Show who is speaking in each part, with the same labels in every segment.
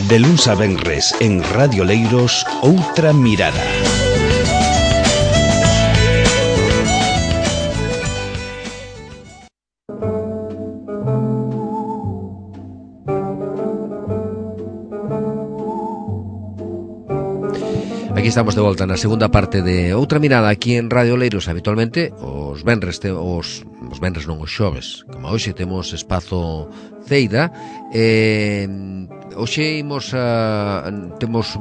Speaker 1: De luns a venres en Radio Leiros, Outra Mirada.
Speaker 2: Aquí estamos de volta na segunda parte de Outra Mirada aquí en Radio Leiros. Habitualmente os venres os venres non, os xoves, como hoxe temos espazo Ceida. Hoxe imos non temos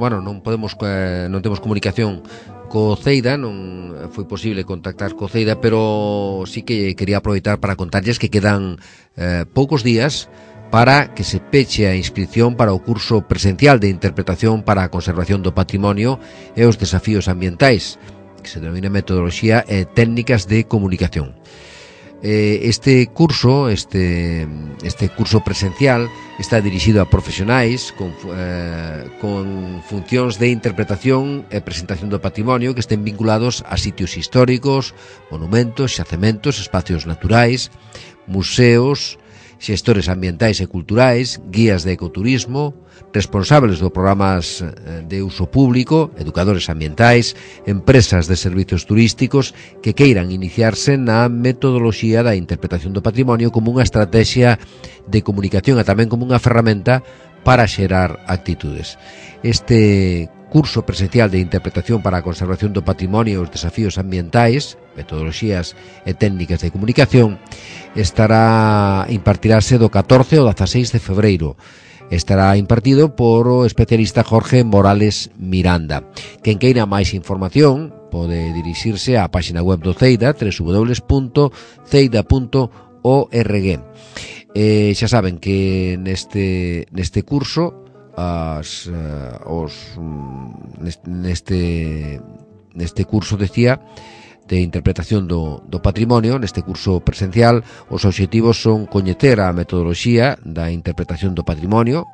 Speaker 2: comunicación co Ceida, non foi posible contactar co Ceida, pero sí que quería aproveitar para contarlles que quedan poucos días para que se peche a inscripción para o curso presencial de interpretación para a conservación do patrimonio e os desafíos ambientais, que se denomina metodoloxía e técnicas de comunicación. Este curso presencial está dirixido a profesionais con funcións de interpretación e presentación do patrimonio que estén vinculados a sitios históricos, monumentos, xacementos, espacios naturais, museos, xestores ambientais e culturais, guías de ecoturismo, responsables dos programas de uso público, educadores ambientais, empresas de servicios turísticos que queiran iniciarse na metodoloxía da interpretación do patrimonio como unha estrategia de comunicación e tamén como unha ferramenta para xerar actitudes. Este curso presencial de interpretación para a conservación do patrimonio e os desafíos ambientais, metodoloxías e técnicas de comunicación, impartirase do 14 ao 16 de febreiro. Estará impartido por o especialista Jorge Morales Miranda. Quen queira máis información pode dirixirse á página web do Ceida, www.ceida.org. Xa saben que neste curso neste curso, decía, de interpretación do patrimonio, neste curso presencial, os obxectivos son coñecer a metodoloxía da interpretación do patrimonio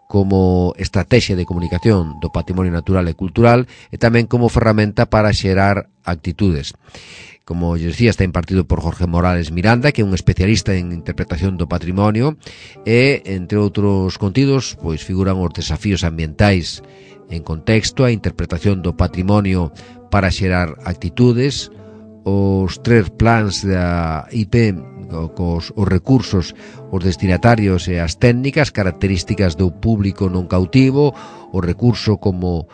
Speaker 2: como estrategia de comunicación do patrimonio natural e cultural e tamén como ferramenta para xerar actitudes. Como yo decía, está impartido por Jorge Morales Miranda, que é un especialista en interpretación do patrimonio e, entre outros contidos, pois figuran os desafíos ambientais en contexto, a interpretación do patrimonio para xerar actitudes, os 3 plans da IP, os recursos, os destinatarios e as técnicas, características do público non cautivo, o recurso como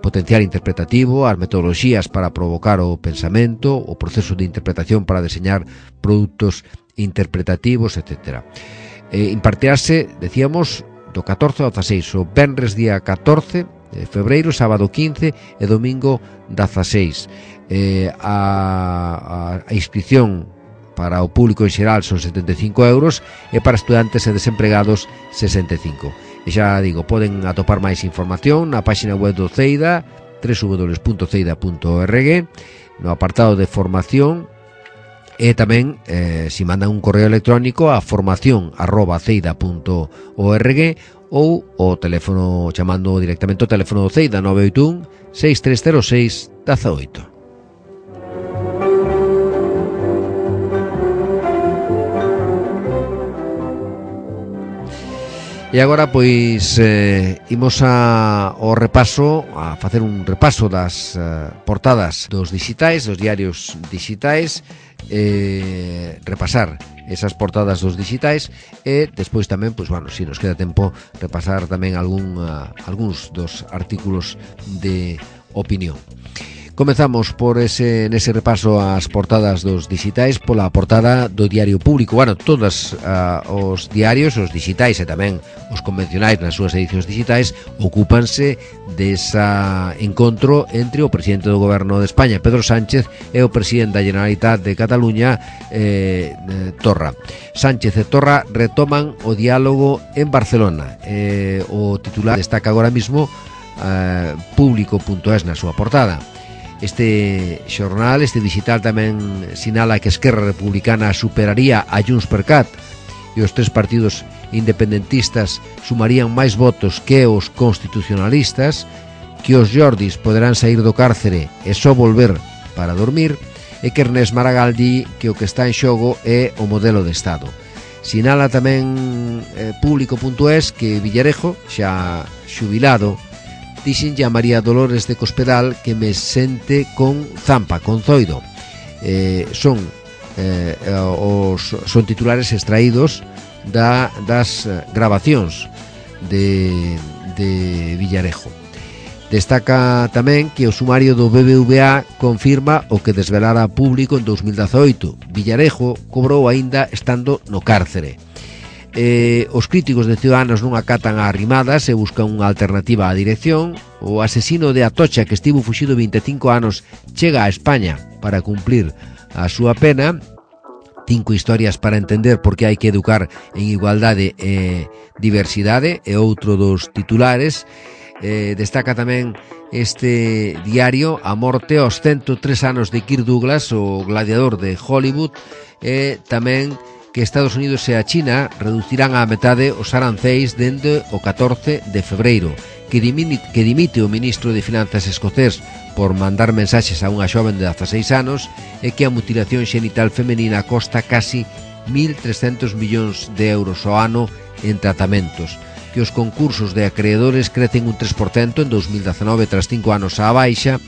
Speaker 2: potencial interpretativo, as metodoloxías para provocar o pensamento, o proceso de interpretación para deseñar produtos interpretativos, etc. Impartirase, decíamos, do 14 ao 16, o venres día 14 de febreiro, sábado 15 e domingo 16. A inscripción para o público en xeral son 75 euros e para estudantes e desempregados 65. E xa digo, poden atopar máis información na página web do Ceida, www.ceida.org, no apartado de formación, e tamén si mandan un correo electrónico a formación@ceida.org ou o teléfono, chamando directamente o teléfono do Ceida, 981 6306 18. E agora, pois, imos ao repaso, a facer un repaso das portadas dos dixitais, dos diarios dixitais, repasar esas portadas dos dixitais e despois tamén, pois, bueno, se nos queda tempo, repasar tamén algúns dos artículos de opinión. Comezamos por nese repaso ás portadas dos dixitais, pola portada do Diario Público. Bueno, todos os diarios, os dixitais e tamén os convencionais nas súas edicións dixitais, ocúpanse desa encontro entre o presidente do Goberno de España, Pedro Sánchez, e o presidente da Generalitat de Cataluña, Torra. Sánchez e Torra retoman o diálogo en Barcelona. O titular destaca agora mismo Público.es na súa portada. Este xornal, este digital, tamén sinala que Esquerra Republicana superaría a Junts per Cat e os 3 partidos independentistas sumarían máis votos que os constitucionalistas, que os Jordis poderán sair do cárcere e só volver para dormir, e que Ernest Maragall di que o que está en xogo é o modelo de Estado. Sinala tamén público.es que Villarejo, xa xubilado, dixenlle a María Dolores de Cospedal que me sente con zampa, con zoido. Son titulares extraídos das grabacións de Villarejo. Destaca tamén que o sumario do BBVA confirma o que desvelara público en 2018. Villarejo cobrou aínda estando no cárcere. Os críticos de Ciudadanos non acatan a arrimadas e buscan unha alternativa á dirección. O asesino de Atocha, que estivo fuxido 25 anos, chega a España para cumplir a súa pena. 5 historias para entender por que hai que educar en igualdade e diversidade é outro dos titulares. Destaca tamén este diario a morte aos 103 anos de Kirk Douglas, o gladiador de Hollywood, e tamén que Estados Unidos e a China reducirán á metade os aranceis dende o 14 de febreiro, que dimite o ministro de Finanzas escocés por mandar mensaxes a unha xoven de 16 anos, e que a mutilación xenital femenina costa casi 1.300 millóns de euros ao ano en tratamentos, que os concursos de acreedores crecen un 3% en 2019 tras 5 anos á baixa,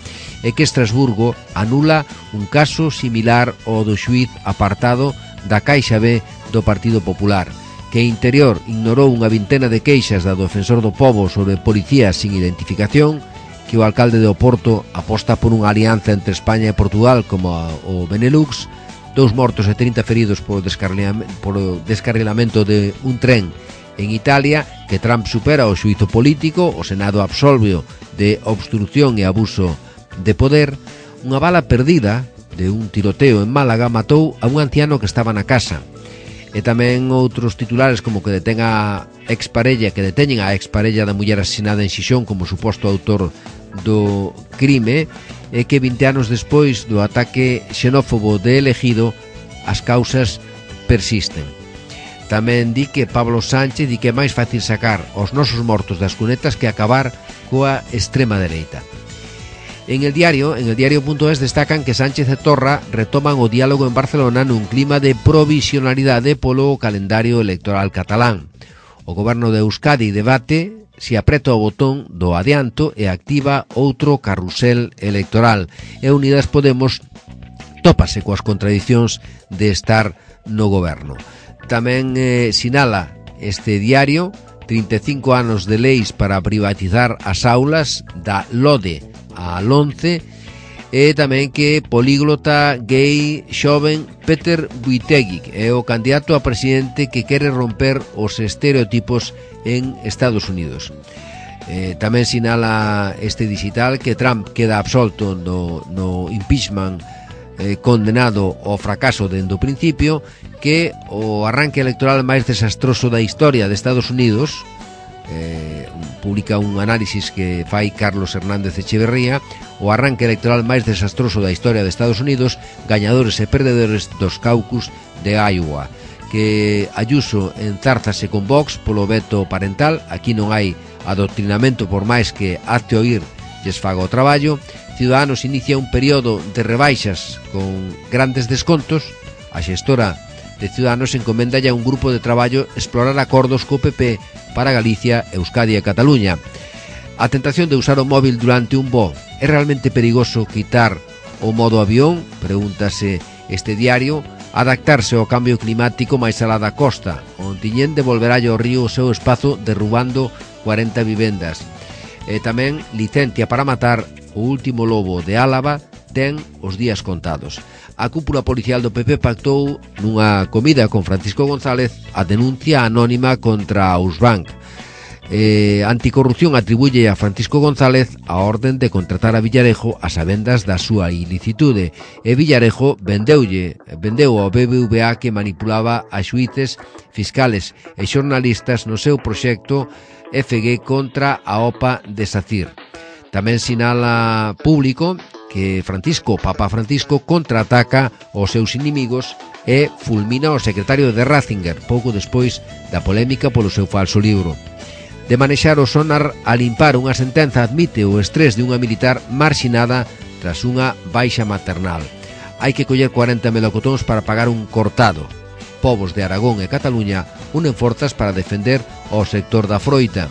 Speaker 2: e que Estrasburgo anula un caso similar ao do xuíz apartado da Caixa B do Partido Popular, que Interior ignorou unha vintena de queixas da Defensor do Pobo sobre policías sin identificación, que o alcalde de Oporto aposta por unha alianza entre España e Portugal como o Benelux, 2 mortos e 30 feridos por descarrilamento de un tren en Italia, que Trump supera o xuízo político, o Senado absolveo de obstrucción e abuso de poder. Unha bala perdida de un tiroteo en Málaga matou a un anciano que estaba na casa. E tamén outros titulares como que deteñen a exparella da muller asesinada en Xixón como suposto autor do crime, e que 20 anos despois do ataque xenófobo de Elegido as causas persisten. Tamén di que Pablo Sánchez di que é máis fácil sacar os nosos mortos das cunetas que acabar coa extrema dereita. En el diario.es destacan que Sánchez e Torra retoman o diálogo en Barcelona nun clima de provisionalidade polo calendario electoral catalán. O goberno de Euskadi debate se apreta o botón do adianto e activa outro carrusel electoral, e Unidas Podemos tópase coas contradicións de estar no goberno. Tamén sinala este diario 35 anos de leis para privatizar as aulas da LODE a LONCE, e tamén que políglota gay xoven Peter Buttigieg é o candidato a presidente que quere romper os estereotipos en Estados Unidos. Tamén sinala este digital que Trump queda absolto no impeachment, condenado ao fracaso dende o principio, que o arranque electoral máis desastroso da historia de Estados Unidos, publica un análisis que fai Carlos Hernández Echeverría, o arranque electoral máis desastroso da historia de Estados Unidos, gañadores e perdedores dos caucus de Iowa, que Ayuso enzárzase con Vox polo veto parental. Aquí non hai adoctrinamento por máis que hazte oír lles faga o traballo. Ciudadanos inicia un período de rebaixas con grandes descontos. A xestora de Ciudadanos encomendalle a un grupo de traballo explorar acordos co PP para Galicia, Euskadi e Cataluña. A tentación de usar o móvil durante un voo. É realmente perigoso quitar o modo avión? Pregúntase este diario. Adaptarse ao cambio climático máis alá da costa. O Ontiñén devolverá ao río o seu espazo derrubando 40 vivendas. E tamén licencia para matar o último lobo de Álava ten os días contados. A cúpula policial do PP pactou nunha comida con Francisco González a denuncia anónima contra Ausbank. Anticorrupción atribuye a Francisco González a orden de contratar a Villarejo a sabendas da súa ilicitude, e Villarejo vendeu ao BBVA que manipulaba a xuíces, fiscales e xornalistas no seu proxecto FG contra a OPA de SACIR. Tamén sinala Público que Papa Francisco contraataca aos seus inimigos e fulmina o secretario de Ratzinger pouco despois da polémica polo seu falso libro. De manexar o sonar a limpar unha sentenza admite o estrés de unha militar marxinada tras unha baixa maternal. Hai que coller 40 melocotóns para pagar un cortado. povos de Aragón e Cataluña unen forzas para defender o sector da froita.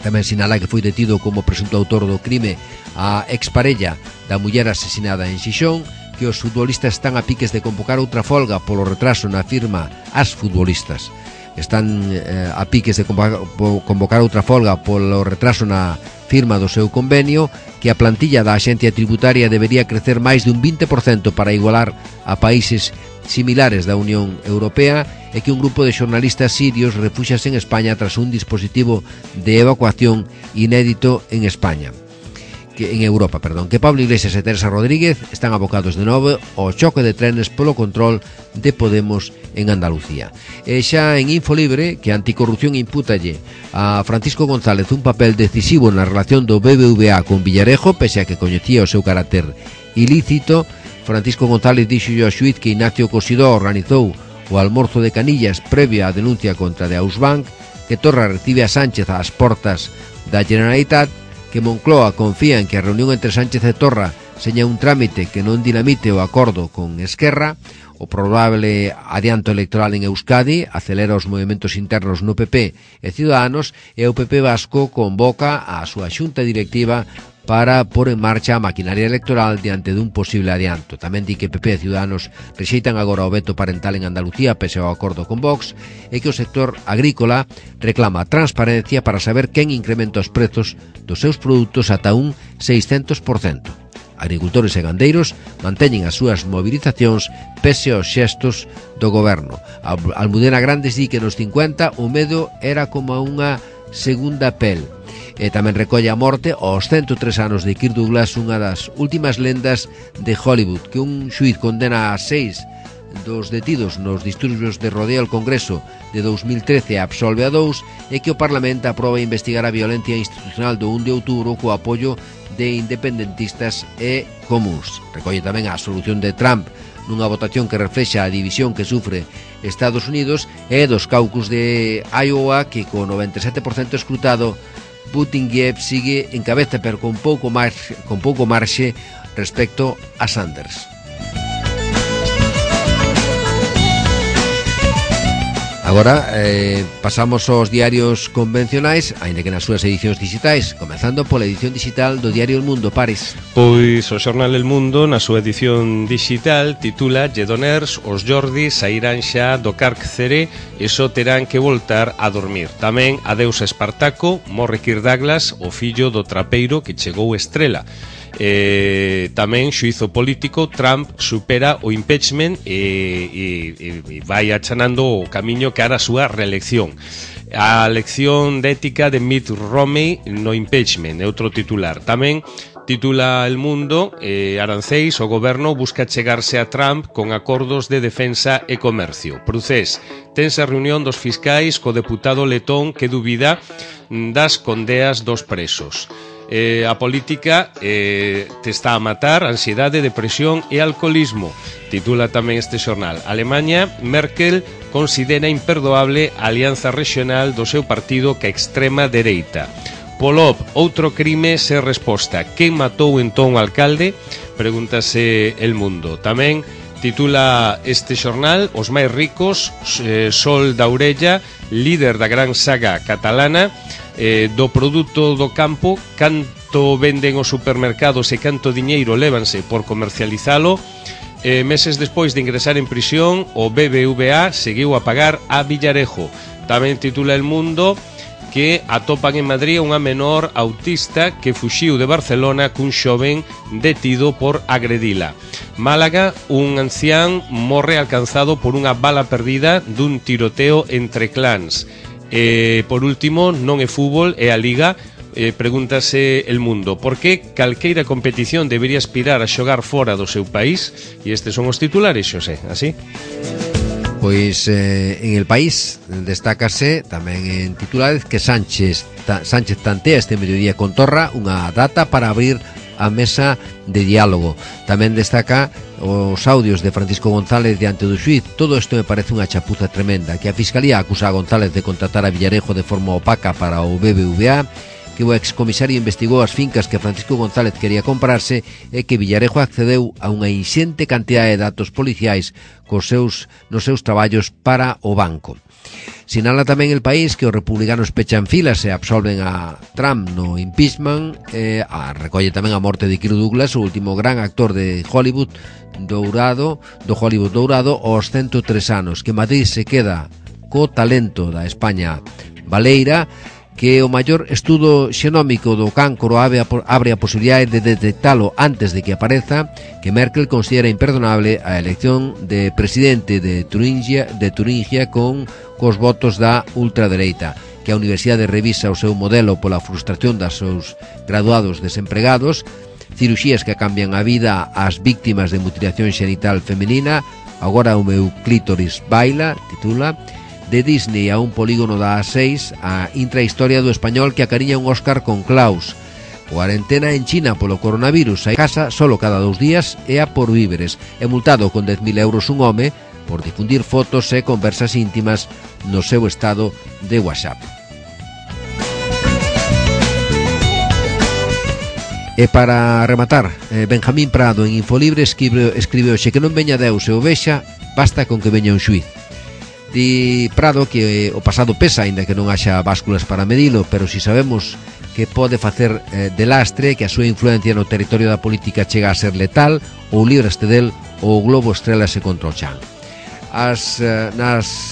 Speaker 2: Tamén sinala que foi detido como presunto autor do crime a exparella da muller asesinada en Xixón, que os futbolistas están a piques de convocar outra folga polo retraso na firma. As futbolistas están a piques de convocar outra folga polo retraso na firma do seu convenio, que a plantilla da Axencia Tributaria debería crecer máis de un 20% para igualar a países similares da Unión Europea, e que un grupo de xornalistas sirios refúxiase en España tras un dispositivo de evacuación inédito en Europa, que Pablo Iglesias e Teresa Rodríguez están abocados de novo ao choque de trenes polo control de Podemos en Andalucía. E xa en Infolibre, que a Anticorrupción impútalle a Francisco González un papel decisivo na relación do BBVA con Villarejo, pese a que coñecía o seu carácter ilícito. Francisco González dixo ao xuíz que Ignacio Cosidó organizou o almorzo de Canillas previo á denuncia contra de Ausbank, que Torra recibe a Sánchez ás portas da Generalitat, que Moncloa confía en que a reunión entre Sánchez e Torra seña un trámite que non dinamite o acordo con Esquerra, o probable adianto electoral en Euskadi acelera os movimentos internos no PP e Ciudadanos, e o PP vasco convoca a súa xunta directiva para pôr en marcha a maquinaria electoral diante dun posible adianto. Tamén di que PP e Ciudadanos rexeitan agora o veto parental en Andalucía pese ao acordo con Vox, e que o sector agrícola reclama transparencia para saber quen incrementa os prezos dos seus produtos ata un 600%. Agricultores e gandeiros manteñen as súas movilizacións pese aos xestos do goberno. Almudena Grandes di que nos 50 o medo era como unha segunda pel. E tamén recolle a morte aos 103 anos de Kirk Douglas, unha das últimas lendas de Hollywood, que un xuíz condena a 6 dos detidos nos disturbios de rodeo ao Congreso de 2013 e absolve a 2, e que o Parlamento aproba investigar a violencia institucional do 1 de outubro co apoio de independentistas e comuns. Recolle tamén a solución de Trump nunha votación que reflexa a división que sufre Estados Unidos, e dos caucus de Iowa, que co 97% escrutado Buttigieg sigue en cabeza, pero con pouco marxe respecto a Sanders. Agora pasamos aos diarios convencionais, aínda que nas súas edicións digitais, comezando pola edición digital do diario El Mundo. Pares.
Speaker 3: Pois o xornal El Mundo, na súa edición digital, titula "Lledoners, os Jordis sairán xa do cárcere e só terán que voltar a dormir". Tamén adeus a Espartaco, morre Kirk Douglas, o fillo do trapeiro que chegou estrela. Tamén xuízo político, Trump supera o impeachment e vai achanando o camiño cara a súa reelección. A lección de ética de Mitt Romney no impeachment é outro titular. Tamén titula El Mundo, aranceis, o goberno busca chegarse a Trump con acordos de defensa e comercio. Procés, tense a reunión dos fiscais co deputado letón que dubida das condeas dos presos. A política te está a matar, ansiedade, depresión e alcoholismo, titula tamén este xornal. Alemanha, Merkel considera imperdoable a alianza regional do seu partido ca extrema dereita. Polop, outro crime sen resposta. Quen matou entón o alcalde? Pregúntase El Mundo. Tamén titula este xornal os máis ricos, Sol da Orella, líder da gran saga catalana, do produto do campo, canto venden os supermercados e canto diñeiro lévanse por comercializalo. Meses despois de ingresar en prisión, o BBVA seguiu a pagar a Villarejo. Tamén titula El Mundo que atopan en Madrid unha menor autista que fuxiu de Barcelona cun xoven detido por agredila. Málaga, un ancián morre alcanzado por unha bala perdida dun tiroteo entre clans. Por último, non é fútbol, é a Liga. Pregúntase El Mundo por que calqueira competición debería aspirar a xogar fora do seu país. E estes son os titulares, Xosé, así.
Speaker 2: Pois en El País destácase tamén en titulares que Sánchez tantea este mediodía con Torra unha data para abrir a mesa de diálogo. Tamén destaca os audios de Francisco González diante do xuíz. Todo isto me parece unha chapuza tremenda, que a Fiscalía acusa a González de contratar a Villarejo de forma opaca para o BBVA, que o excomisario investigou as fincas que Francisco González quería comprarse e que Villarejo accedeu a unha inxente cantidade de datos policiais nos seus traballos para o banco. Sinala tamén El País que os republicanos pechan filas e absolven a Trump no impeachment, recolle tamén a morte de Kirk Douglas, o último gran actor de Hollywood dourado, aos 103 anos, que Madrid se queda co talento da España baleira, que o maior estudo xenómico do cancro abre a posibilidade de detectalo antes de que apareza, que Merkel considera imperdonable a elección de presidente de Turingia cos votos da ultradereita, que a Universidade revisa o seu modelo pola frustración dos seus graduados desempregados, cirurxías que cambian a vida ás víctimas de mutilación xenital femenina, agora o meu clítoris baila, titula, de Disney a un polígono da A6, a intrahistoria do español que acariña un Óscar con Klaus, cuarentena en China polo coronavirus, a casa solo cada 2 días e a por víveres, e multado con 10.000 euros un home por difundir fotos e conversas íntimas no seu estado de WhatsApp. E para rematar, Benjamín Prado en Infolibre escribe hoxe que non veña Deus e o vexa, basta con que veña un xuiz. Di Prado que o pasado pesa, aínda que non haxa básculas para medilo, pero si sabemos que pode facer de lastre, que a súa influencia no territorio da política chega a ser letal, ou libraste del, ou o globo estrélase contra o chan.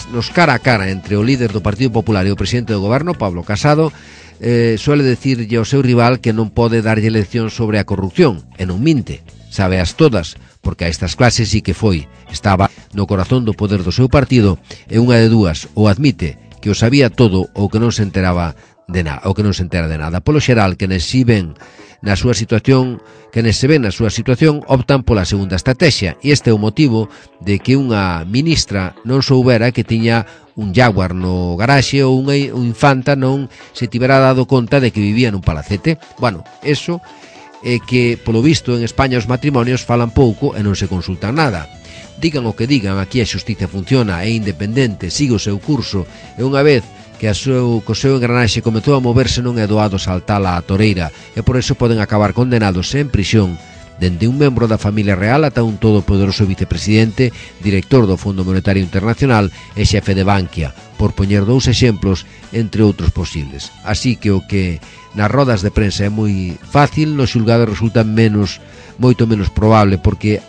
Speaker 2: Nos cara a cara entre o líder do Partido Popular e o presidente do goberno, Pablo Casado, suele decirlle ao seu rival que non pode darlle lección sobre a corrupción, e non minte, sábeas todas, porque a estas clases sí que estaba no corazón do poder do seu partido, e unha de dúas, ou admite que o sabía todo ou que non se entera de nada. Polo xeral, quenes se ven na súa situación, optan pola segunda estrategia, e este é o motivo de que unha ministra non soubera que tiña un Jaguar no garaxe ou unha infanta non se tivera dado conta de que vivía nun palacete. Bueno, eso é que, polo visto, en España os matrimonios falan pouco e non se consultan nada. Digan o que digan, aquí a xustiza funciona, é independente, sigue o seu curso, e unha vez que co seu engranaxe comezou a moverse non é doado saltala á toreira, e por eso poden acabar condenados en prisión, dende un membro da familia real ata un todopoderoso vicepresidente, director do Fondo Monetario Internacional e xefe de Bankia, por poñer 2 exemplos entre outros posibles. Así que o que nas rodas de prensa é moi fácil, nos xulgados resulta moito menos probable, porque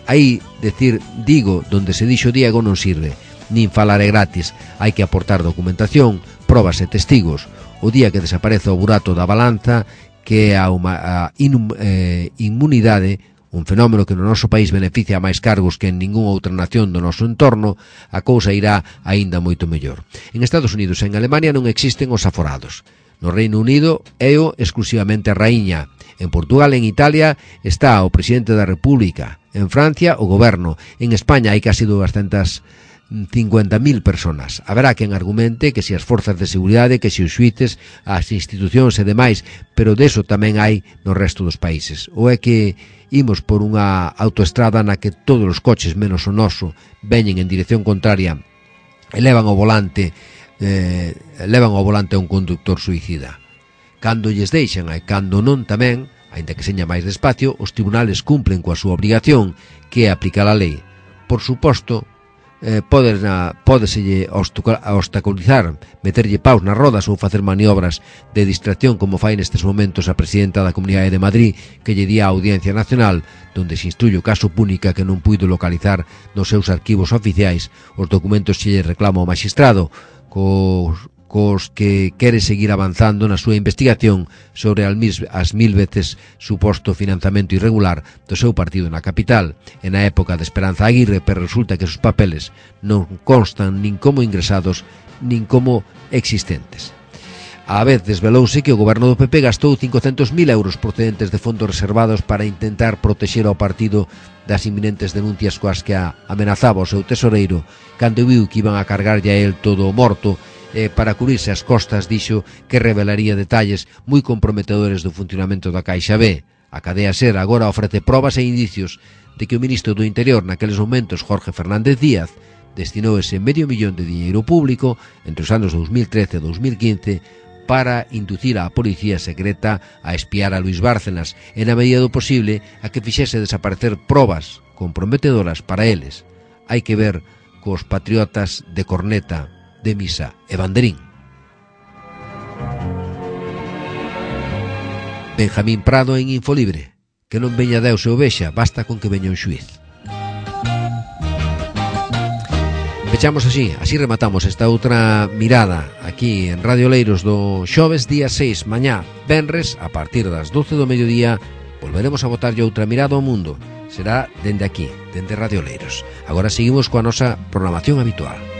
Speaker 2: aí decir digo donde se dixo Diego non sirve, nin falar é gratis, hai que aportar documentación, probas e testigos. O día que desapareza o burato da balanza, que é a inmunidade, un fenómeno que no noso país beneficia a máis cargos que en ningunha outra nación do noso entorno, a cousa irá aínda moito mellor. En Estados Unidos e en Alemania non existen os aforados. No Reino Unido é exclusivamente a raíña. En Portugal e en Italia está o presidente da República. En Francia o goberno. En España hai casi 250.000 personas. Haberá quen argumente que se as forzas de seguridade, que se os xuíces, as institucións e demais, pero deso tamén hai no resto dos países. Ou é que imos por unha autoestrada na que todos os coches menos o noso veñen en dirección contraria e levan ao volante a un conductor suicida. Cando lles deixan e cando non tamén, aínda que seña máis despacio, os tribunales cumplen coa súa obrigación, que é aplicar a lei. Por suposto, pódeselle obstaculizar, meterlle paus nas rodas ou facer maniobras de distracción, como fai nestes momentos a presidenta da Comunidade de Madrid, que lle di á Audiencia Nacional, donde se instruye o caso Púnica, que non puido localizar nos seus arquivos oficiais os documentos que lle reclama o magistrado, cos que quere seguir avanzando na súa investigación sobre as 1000 veces suposto financiamento irregular do seu partido na capital e na época de Esperanza Aguirre, pero resulta que os papeles non constan nin como ingresados nin como existentes. A vez desvelouse que o goberno do PP gastou 500.000 euros procedentes de fondos reservados para intentar protexer ao partido das inminentes denuncias coas que amenazaba o seu tesoreiro, cando viu que iban a cargarlle a él todo o morto, para cubrirse as costas dixo que revelaría detalles moi comprometedores do funcionamento da Caixa B. A cadea SER agora ofrece probas e indicios de que o ministro do Interior naqueles momentos, Jorge Fernández Díaz, destinou ese $500.000 de diñeiro público entre os anos 2013 e 2015 para inducir a policía secreta a espiar a Luis Bárcenas e, na medida do posible, a que fixese desaparecer probas comprometedoras para eles. Hai que ver cos patriotas de corneta, de misa e banderín. Benjamín Prado en Infolibre. Que non veña Deus e o vexa, basta con que veña un xuiz. Pechamos así rematamos esta outra mirada aquí en Radio Leiros do xoves día 6, mañá, venres, a partir das 12 do mediodía, volveremos a botarlle outra mirada ao mundo. Será dende aquí, dende Radio Leiros. Agora seguimos coa nosa programación habitual.